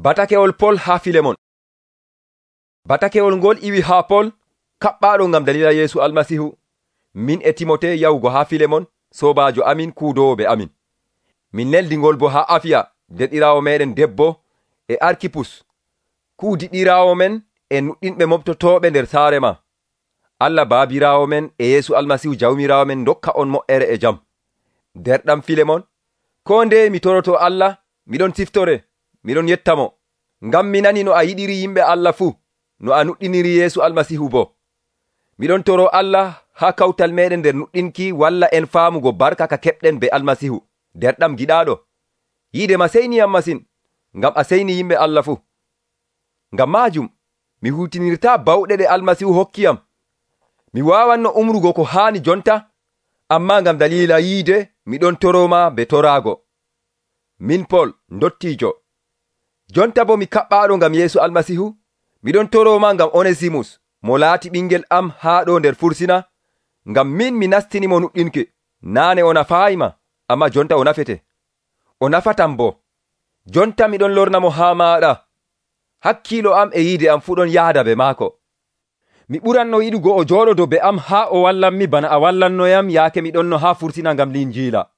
Batakewol Pol haa Filemon. Batakewol ngol iwi haa Pol, kaɓɓaaɗo ngam dalila Yeesu Almasihu, min e Timote yahugo haa Filemon, soobaajo amin kuudowo be amin. Min neldi ngol bo haa Afiya, derɗiraawo meeɗen debbo, e Arkipus, kuudiɗiraawo men e nuɗɗinɓe moɓtotooɓe nder saare ma. Allah baabiraawo men e Yeesu Almasihu jawmiraawo men dokka on mo'ere e jam. Derɗam Filemon, koo nde mi toroto Allah, miɗon siftore, miɗon yettamo, ngam mi nani no a yiɗiri yimɓe Allah fuu, no a nuɗɗiniri Yeesu Almasihu bo. Miɗon toro Allah haa kawtal meɗen nder nuɗɗinki walla en faamugo barka ka keɓɗen be Almasihu. Derɗam giɗaaɗo, yiide ma seyniyam masin, ngam a seyni yimɓe Allah fuu. Ngam maajum, mi huutinirtaa bawɗe ɗe Almasihu hokkiyam. Mi waawanno umrugo ko haani jonta, ammaa ngam dalila yiide miɗon toroma be toraago. Min Pol, ndottiijo. Jonta bo mi kaɓɓaaɗo ngam Yeesu Almasihu, miɗon toroma ngam Onesimus, mo laati ɓingel am haa ɗo nder fursina, ngam min mi nastinimo nuɗɗinki. Naane o nafaayima, amma jonta o nafete. O nafatam bo. Jonta miɗon lornamo haa maaɗa. Hakkiilo am e yiide am fuu ɗon yaada be maako. Mi ɓuranno yiɗugo o jooɗodo be am haa o wallanmi bana a wallannoyam yaake miɗonno haa fursina ngam linjiila.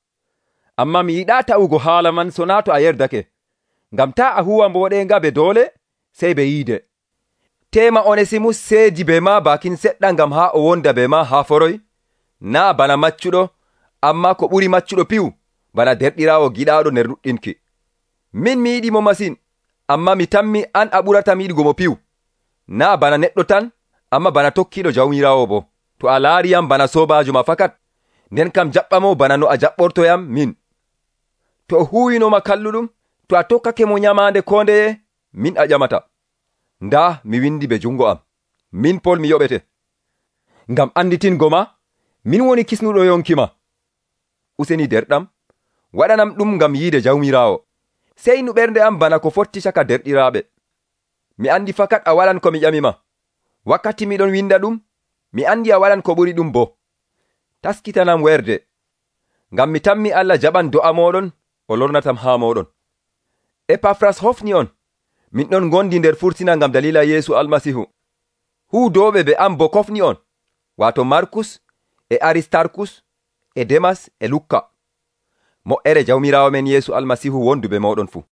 Amma mi yiɗaa ta'ugo haala man so naa to a yerdake, ngam taa a huwa mbooɗenga be doole, sey be yiide. Teema Onesimus seedi be ma bakin seɗɗa ngam haa o wonda be ma haa foroy, naa bana maccuɗo, amma ko ɓuri maccuɗo piwu, bana derɗiraawo giɗaaɗo nder nuɗɗinki. Min mi yiɗi mo masin, amma mi tammi an a ɓuratam yiɗugo mo piwu, naa bana neɗɗo tan, amma bana tokkiiɗo jawmiraawo bo. To a laariyam bana soobaajo ma fakat, nden kam jaɓɓamo bana no a jaɓɓortoyam min. To o huwinoma kalluɗum, to a tokkake mo nyamaande koo ndeye, min a ƴamata. Ndaa mi windi be jungo am, min Pol mi yoɓete. Ngam anditingo ma, min woni kisnuɗo yonki ma. Useni derɗam, waɗanam ɗum ngam yiide jawmiraawo. Seynu ɓernde am bana ko fotti caka derɗiraaɓe. Mi andi fakat a waɗan ko mi ƴamima. Wakkati miɗon winda ɗum, mi andi a waɗan ko ɓuri ɗum bo. Taskitanam werde, ngam mi tammi Allah jaɓan do'a moɗon, o lornatam haa moɗon. Epafras hofni on, min ɗon gondi nder fursina ngam dalila Yeesu Almasihu. Huudoɓe be am bo kofni on, waato Markus e Aristarkus e Demas e Lukka. Mo'ere jawmiraawo men Yeesu Almasihu wondu be moɗon fuu.